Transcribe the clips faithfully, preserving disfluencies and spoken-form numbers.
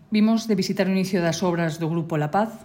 Vimos de visitar o inicio das obras do Grupo La Paz.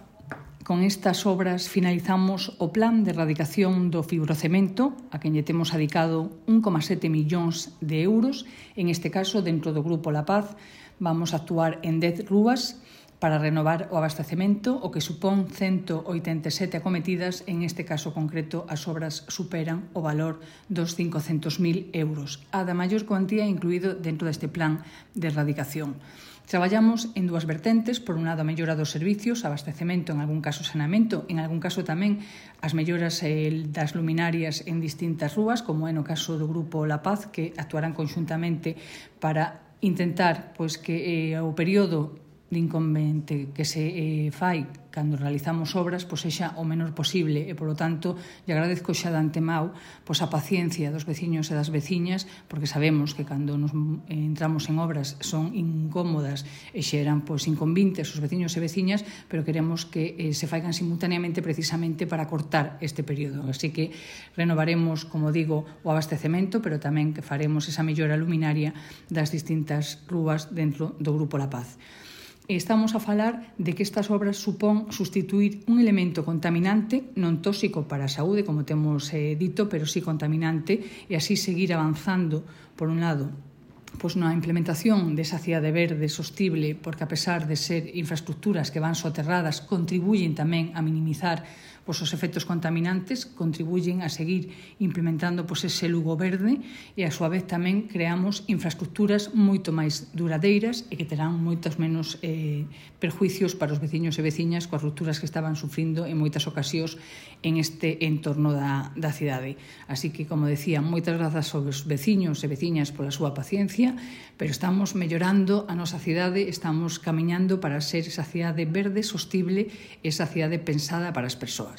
Con estas obras finalizamos o plan de erradicación do fibrocemento, a quen lle temos adicado un coma sete millóns de euros. En este caso, dentro do Grupo La Paz, vamos a actuar en dez rúas para renovar o abastecemento, o que supón ciento oitenta e sete acometidas. En este caso concreto, as obras superan o valor dos cincocentos mil euros, a da maior cuantía incluído dentro deste plan de erradicación. Traballamos en dúas vertentes, por un lado a mellora dos servicios, abastecemento, en algún caso saneamento, en algún caso tamén as melloras eh, das luminarias en distintas rúas, como é no caso do Grupo La Paz, que actuarán conxuntamente para intentar pois, que eh, o período de inconveniente que se eh, fai cando realizamos obras pois sexa o menor posible e, polo tanto, lle agradezco xa de antemao pois, a paciencia dos veciños e das veciñas, porque sabemos que cando nos eh, entramos en obras son incómodas e xeran pois, inconvintes os veciños e veciñas, pero queremos que eh, se faigan simultaneamente precisamente para cortar este período. Así que renovaremos, como digo, o abastecemento, pero tamén que faremos esa mellora luminaria das distintas rúas dentro do Grupo La Paz. Estamos a falar de que estas obras supón sustituir un elemento contaminante, non tóxico para a saúde, como temos eh, dito, pero sí contaminante, e así seguir avanzando, por un lado, pois na implementación desa cidade verde sostible, porque a pesar de ser infraestructuras que van soterradas, contribuyen tamén a minimizar pois, os efectos contaminantes, contribuyen a seguir implementando pois, ese Lugo verde e a súa vez tamén creamos infraestructuras moito máis duradeiras e que terán moitos menos eh, perjuicios para os veciños e veciñas coas rupturas que estaban sufrindo en moitas ocasións en este entorno da, da cidade. Así que, como decía, moitas grazas aos veciños e veciñas pola súa paciencia, pero estamos mellorando a nosa cidade, estamos camiñando para ser esa cidade verde, sostible, esa cidade pensada para as persoas.